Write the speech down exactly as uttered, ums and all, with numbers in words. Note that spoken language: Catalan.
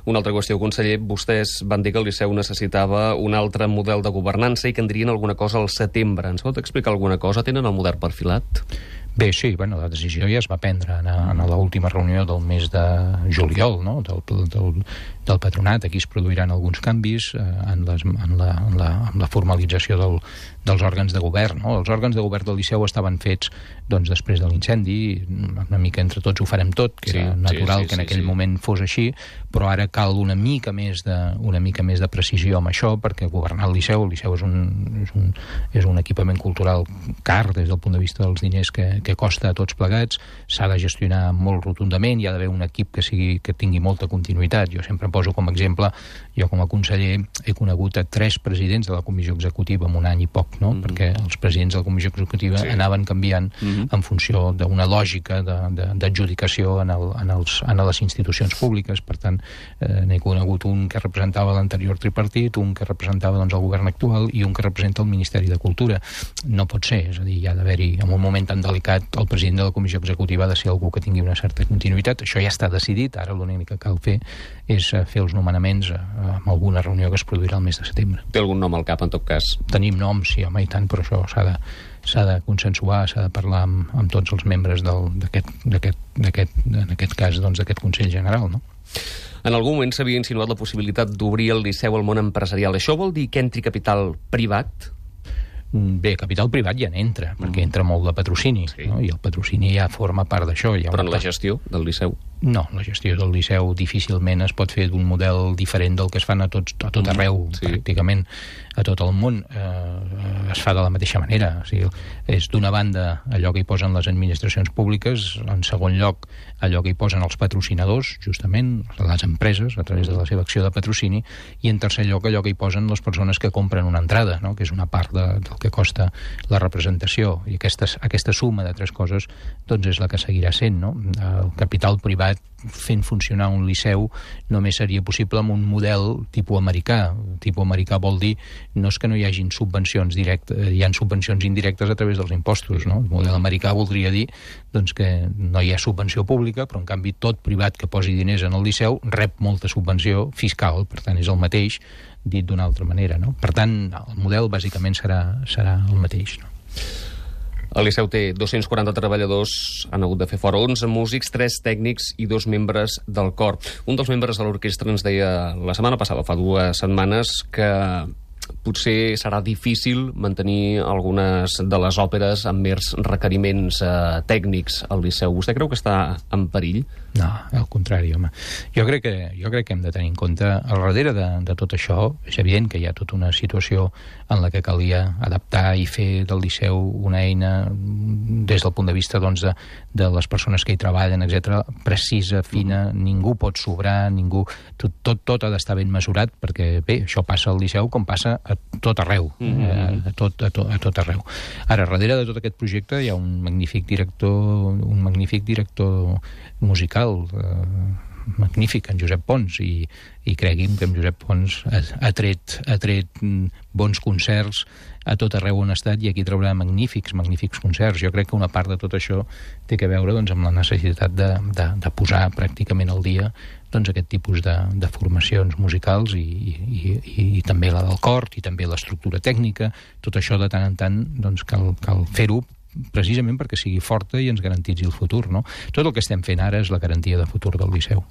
Una altra qüestió, conseller, vostès van dir que el Liceu necessitava un altre model de governança i que en dirien alguna cosa al setembre. Ens pot explicar alguna cosa? Tenen el model perfilat? Bé, sí, bueno, la decisió ja es va prendre en, en l'última reunió del mes de juliol, no?, del, del, del patronat. Aquí es produiran alguns canvis eh, en, les, en, la, en, la, en la formalització del, dels òrgans de govern, no? Els òrgans de govern del Liceu estaven fets doncs, després de l'incendi, una mica entre tots ho farem tot, que sí, era natural sí, sí, que en aquell sí, sí. moment fos així, però ara cal una mica més de, una mica més de precisió amb això, perquè governar el Liceu, el Liceu és un, és un, és un equipament cultural car des del punt de vista dels diners que, que costa a tots plegats, s'ha de gestionar molt rotundament, hi ha d'haver un equip que, sigui, que tingui molta continuïtat. Jo sempre poso com a exemple, jo com a conseller he conegut a tres presidents de la comissió executiva en un any i poc, no? Mm-hmm. Perquè els presidents de la comissió executiva sí. anaven canviant mm-hmm. en funció d'una lògica d'adjudicació en, el, en, els, en les institucions públiques. Per tant, eh, n'he conegut un que representava l'anterior tripartit, un que representava doncs, el govern actual i un que representa el Ministeri de Cultura. No pot ser, és a dir, hi ha d'haver-hi, en un moment tan delicat, el president de la comissió executiva ha de ser algú que tingui una certa continuïtat. Això ja està decidit, ara l'únic que cal fer és fer els nomenaments en alguna reunió que es produirà el mes de setembre. Té algun nom al cap, en tot cas? Tenim noms, sí, home, i tant, però això s'ha de s'ha de consensuar, s'ha de parlar amb, amb tots els membres d'aquest, en aquest cas, doncs, d'aquest Consell General, no? En algun moment s'havia insinuat la possibilitat d'obrir el Liceu al món empresarial. Això vol dir que entri capital privat? Bé, capital privat ja n'entra, mm. perquè entra molt de patrocini, sí. no? I el patrocini ja forma part d'això. Però en la gestió del Liceu? No, la gestió del Liceu difícilment es pot fer d'un model diferent del que es fan a, tots, a tot arreu, sí. pràcticament a tot el món. Eh, es fa de la mateixa manera. O sigui, és d'una banda allò que hi posen les administracions públiques, en segon lloc allò que hi posen els patrocinadors, justament, les empreses, a través de la seva acció de patrocini, i en tercer lloc allò que hi posen les persones que compren una entrada, no? Que és una part de, del que costa la representació. I aquesta, aquesta suma de tres coses doncs és la que seguirà sent, no? El capital privat fent funcionar un liceu només seria possible amb un model tipus americà. Tipus americà vol dir no és que no hi hagin subvencions directes, hi ha subvencions indirectes a través dels impostos, no? El model americà voldria dir doncs, que no hi ha subvenció pública, però en canvi tot privat que posi diners en el liceu rep molta subvenció fiscal, per tant és el mateix dit d'una altra manera, no? Per tant, el model bàsicament serà, serà el mateix, no? El Liceu té dos-cents quaranta treballadors, han hagut de fer fora onze músics, tres tècnics i dos membres del cor. Un dels membres de l'orquestra ens deia la setmana passada, fa dues setmanes, que potser serà difícil mantenir algunes de les òperes amb mers requeriments eh, tècnics al Liceu. Vostè creu que està en perill? No, al contrari, home. Jo crec que, jo crec que hem de tenir en compte, al darrere de, de tot això, és evident que hi ha tota una situació en la que calia adaptar i fer del Liceu una eina des del punt de vista doncs, de, de les persones que hi treballen, etcètera, precisa, fina, ningú pot sobrar, ningú... Tot, tot, tot ha d'estar ben mesurat, perquè bé, això passa al Liceu com passa a tot arreu, mm-hmm. a, tot, a, tot, a tot arreu. Ara, darrere de tot aquest projecte hi ha un magnífic director, un magnífic director musical, eh, magnífic, en Josep Pons, i, i cregui'm que en Josep Pons ha, ha, tret, ha tret bons concerts a tot arreu on ha estat, i aquí traurà magnífics, magnífics concerts. Jo crec que una part de tot això té que veure doncs, amb la necessitat de, de, de posar pràcticament al dia doncs, aquest tipus de, de formacions musicals i, i, i, i també la del cor i també l'estructura tècnica. Tot això de tant en tant doncs, cal, cal fer-ho precisament perquè sigui forta i ens garantitzi el futur, no? Tot el que estem fent ara és la garantia de futur del Liceu.